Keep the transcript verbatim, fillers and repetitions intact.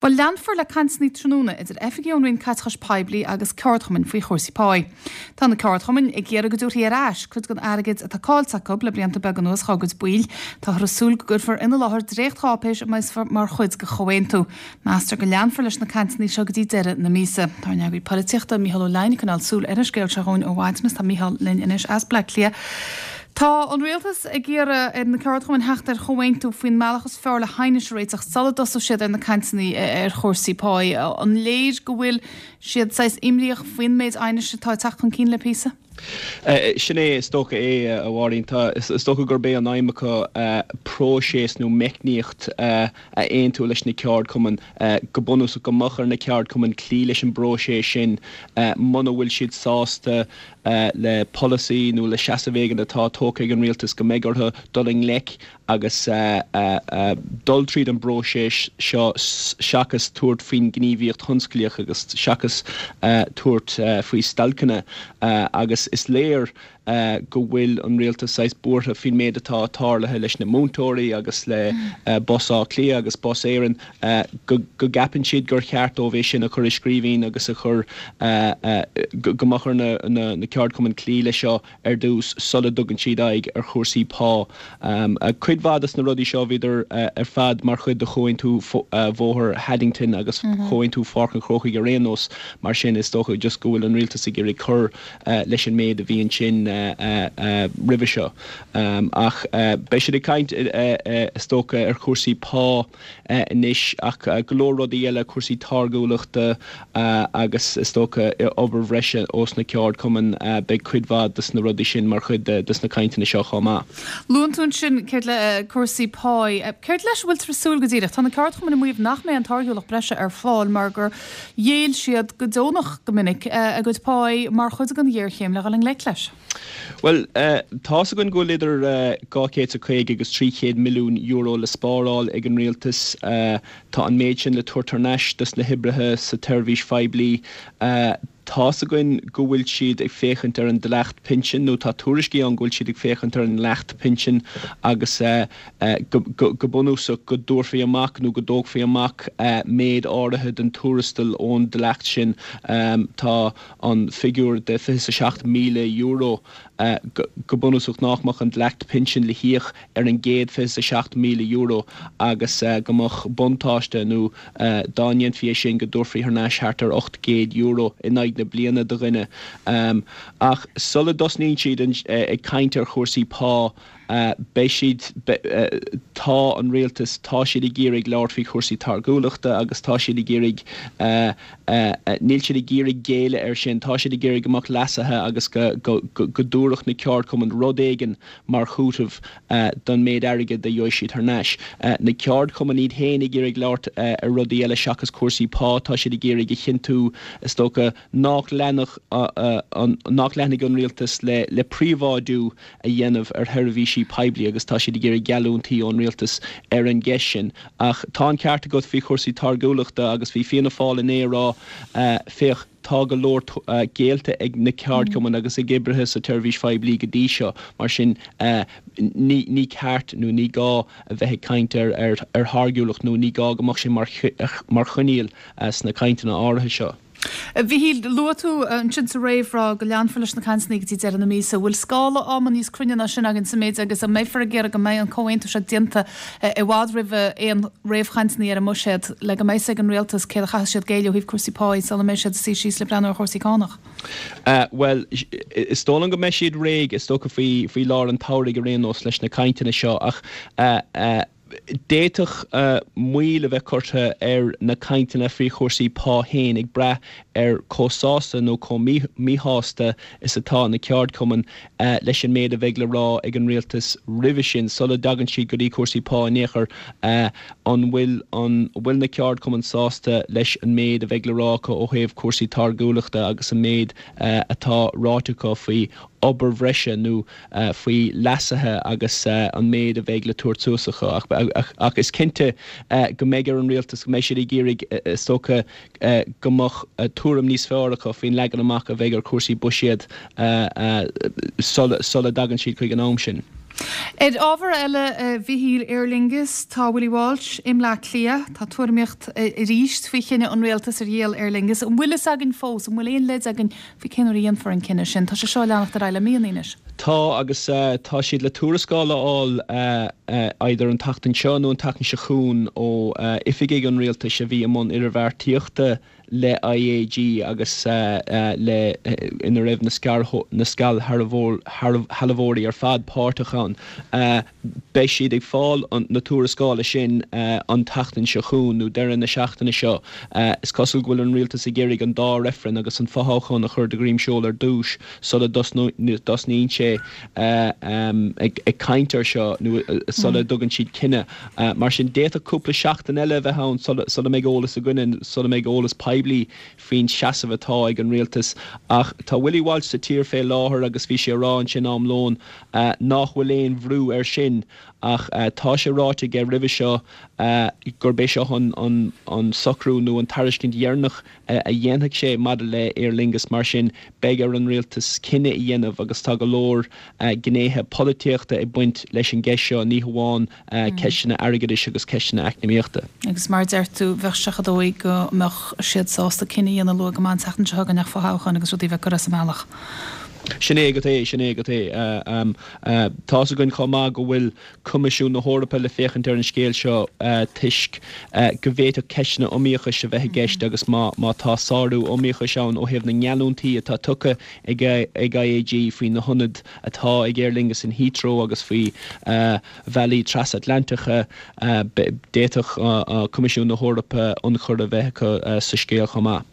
Bhuel, leanfar le cainteanna tráthnóna idir oifigigh ón Roinn Caiteachais Poiblí agus ceardchumainn faoi chúrsaí páí. Tá na ceardchumainn ag iarraidh go dtabharfaí ar ais cuid den airgead atá caillte acu le blianta beaga anuas dá gcuid baill. Táthar ag súil go gcuirfear ina láthair dréachtcháipéis a mbeidh mar chuid de chomhaontú. Meastar go leanfar leis na cainteanna seo go dtí deireadh na míosa. Tá ár n-eagraí polaitíochta Mícheál Ó Leidhin ag coinneáil súil ar an scéal seo dhúinn ó mhaidin tá Mícheál linn anois as Bleá Cliath. Tá an rialtas ag iarraidh ar na ceardchumainn theacht ar chomhaontú faoin mbealach is fearr le haighneas a réiteach sula dtosóidh siad ar na cainteanna ar chúrsaí páí. An léir go bhfuil siad saghas imníoch faoin méid aighnis atá ag teacht chun cinn le píosa? Sin é is dócha é a Mháirín tá is dócha gurb é an aidhm acu próiseas nó meicníocht a aontú leis na ceardchumainn go bunúsach go mbeadh ar na ceardchumainn cloí leis an bpróiseas sin muna bhfuil siad sásta le polasaí nó le seasamh éigin atá tógtha ag an rialtas go mbeidh orthu dul i ngleic agus dul tríd an bpróiseas seo seachas tabhairt faoin ngníomhaíocht thionsclaíoch agus seachas tabhairt faoi stailceanna agus is léir go bhfuil an rialtas saghas buartha faoin méid atá tarlaithe leis na múinteoirí agus le Bus Átha Cliath agus Bus Éireann go gceapann siad gur cheart dóibh é sin a chur i scríbhinn agus a chur go mbeadh ar na ceardchumainn cloí leis seo ar dtús sula dtugann siad aghaidh ar chúrsaí pá. Cuid mhaith de na rudaí seo bhíodar ar fad mar chuid de chomhaontú Bhóthar Haddington agus chomhaontú Pháirc an Chrócaigh ar aon nós mar sin is dócha just go bhfuil an rialtas ag iarraidh cur leis an méid a bhí ansin roimhe seo. Ach beidh siad ag caint is dócha ar chúrsaí pá anois ach go leor rudaí eile cúrsaí táirgiúlachta agus is dócha obair bhreise ós na ceardchumainn beidh cuid mhaith de na rudaí sin mar chuid de na cainteanna seo chomh maith. Luann tú ansin céard le cúrsaí pá, Céard leis bhfuil súil go díreach Tá na ceardchumainn ag maíomh nach mbeidh an táirgiúlacht breise ar fáil mar gur ghéill siad go deonach go minic a gcuid pá mar chuid den ghéarchéim le dhul i ngleic leis. Well tá's againn go bhfuil idir dhá chéad is caoga agus trí chéad milliún euro le spáráil ag an rialtas tá an méid sin le tabhairt thar n-ais dos na hoibrithe sa tseirbhís phoiblí. Tá's againn go bhfuil siad ag féachaint ar an dleacht pinsin nó tá tuairiscí ann go bhfuil siad ag féachaint ar an dleacht pinsin agus go bunúsach go dtabharfaí amach nó go dtógfaí amach méid áirithe den tuarastal ón dleacht sin tá an figiúr de fiche seacht míle euro go bunúsach nach mbeadh an dleacht pinsin le híoc ar an gcéad fiche seacht míle euro agus go mbeadh buntáiste nó dá ndéanfaí é sin go dtabharfaí thar n-ais thart ar ocht gcéad euro in aghaidh na bliana do dhuine. Ach sula dtosnaíonn siad ag caint ar chúrsaí pá beidh siad tá an rialtas tá siad ag iarraidh labhairt faoi chúrsaí táirgiúlachta agus tá siad ag iarraidh níl siad ag iarraidh géilleadh air sin, tá siad ag iarraidh go mbeadh leasuithe agus go dtabharfadh na ceardchumainn rud éigin mar chúiteamh don méid airgid a gheobhaidh siad thar n-ais. Na ceardchumainn iad féin ag iarraidh labhairt ar rudaí eile seachas cúrsaí pá, tá siad ag iarraidh a chinntiú is dócha nach leanfadh nach leanfaidh an rialtas le le príobháidiú a dhéanamh ar sheirbhísí poiblí agus tá siad ag iarraidh geallúintí ón rialtas ar an gceist sin. Ach tá an ceart agat faoi chúrsaí táirgiúlachta agus bhí Fianna Fáil inné ag rá féach tá go leor géillte ag na ceardchumainn agus ag oibrithe sa tseirbhís phoiblí go dtí seo mar sin ní ní ceart nó ní gá a bheith ag caint ar ar ar tháirgiúlacht nó ní gá go mbeadh sé mar mar choinníoll sna cainteanna áirithe seo. Mhíchíl luaigh tú ansin sa réamhrá go leanfar leis na cainteanna go dtí deireadh na míosa, bhfuil scála ama níos cruinne ná sin againn sa méid agus an mbeifear ag iarraidh go mbeidh an comhaontú seo déanta i bhfad roimh aon réamhchainteanna ar an mbuiséad le go mbeidh ag an rialtas céard a chaithfidh siad géilleadh ó thaobh cúrsaí pá sula mbeidh siad suí síos le breathnú ar chúrsaí cánach. Well is dóigh liom go mbeidh siad réidh is dócha faoi faoi lár an tsamhraidh ar aon nós leis na cainteanna seo ach D'fhéadfadh moill a bheith curtha ar na cainteanna faoi chúrsaí pá féin ag brath ar chomh sásta nó chomh míshásta is atá na ceardchumainn leis an méid a bheidh le rá ag an rialtas roimhe sin, sula dtagann siad go dtí cúrsaí pá in aon chor. An bhfuil an bhfuil na ceardchumainn sásta leis an méid a bheidh le rá acu ó thaobh cúrsaí táirgiúlachta agus an méid atá ráite acu faoi obair bhreise nó faoi leasuithe agus an méid a bheidh le tabhairt suas acu. Ach is cinnte go mbeidh ar an rialtas, go mbeidh siad ag iarraidh, is dócha, go mbeadh tuairim níos fearr acu faoin leagan amach a bheidh ar chúrsaí buiséid sula dtagann siad chuig an am sin. Ar ábhar eile a Mhichíl Aer Lingus tá Willie Walsh i mBleá Cliath tá tuairimíocht arís faoi chinneadh an rialtas ar dhíol Aer Lingus an bhfuil fhios againn fós an bhfuil aon leid againn faoi cén uair a dhéanfar an cinneadh sin Tá sé seo leanacht ar aghaidh le míonna anois. Tá agus uh, tá siad le tuarascáil a fháil uh, uh, idir an tseachtain seo nó an tseachtain seo chugainn ó uh, oifigigh an rialtais a bhí i mbun idirbheartaíochta le IAG agus uh, uh, le uh, ina raibh na na scairshealbhóirí ar fad páirteach ann. Uh, Beidh siad ag fáil na tuarascála sin uh, an tseachtain seo chugainn nó deireadh na seachtaine seo. Uh, is cosúil go bhfuil an rialtas ag iarraidh an dá reifreann agus an fothoghchán a chur de dhroim seoil ar dtús sula dtosnaíonn sé uh, um, ag, ag caint air seo nó uh, sula mm. dtugann siad cinneadh. Uh, mar sin d'fhéadfadh cúpla seachtain eile bheith ann sula mbeidh eolas againn sula mbeidh eolas poiblí faoin seasamh atá ag an rialtas ach tá Willie Walsh sa tír fé láthair agus bhí sé ag rá ansin am lóin uh, nach bhfuil aon bhrú air sin ach uh, tá sé ráite aige roimhe seo uh, gurb é seo an, an, an socrú nó an tairiscint dheireanach uh, a dhéanfaidh sé maidir le Aer Lingus mar sin beidh ar an rialtas cinneadh a dhéanamh agus tá go leor uh, gnéithe polaitíochta ag baint leis an gceist seo ní hamháin uh, mm. ceisteanna airgeadais agus ceisteanna eacnamaíochta. Agus mar deir tú bheadh sé dóigh go mbeadh siad sásta cinneadh a dhéanamh luath go maith an tseachtain seo chugainn ach fothoghchán agus rudaí bheith curtha sa mbealach. Sin é go é sin é go é Tá againn chomh maith go bhfuil Coimisiún na hEorpa le féachaint ar an scéal seo toisc go bhféadfadh ceisteanna iomaíochais a bheith i gceist agus má má tá sárú iomaíochais ann ó thaobh na ngeallúintí atá tugtha ag ag IAG faoi na hionaid atá ag Aer Lingus in Heathrow agus faoi bhealaí trasatlantacha d'fhéadfadh Coimisiún na hEorpa ionchur a bheith acu sa scéal chomh maith.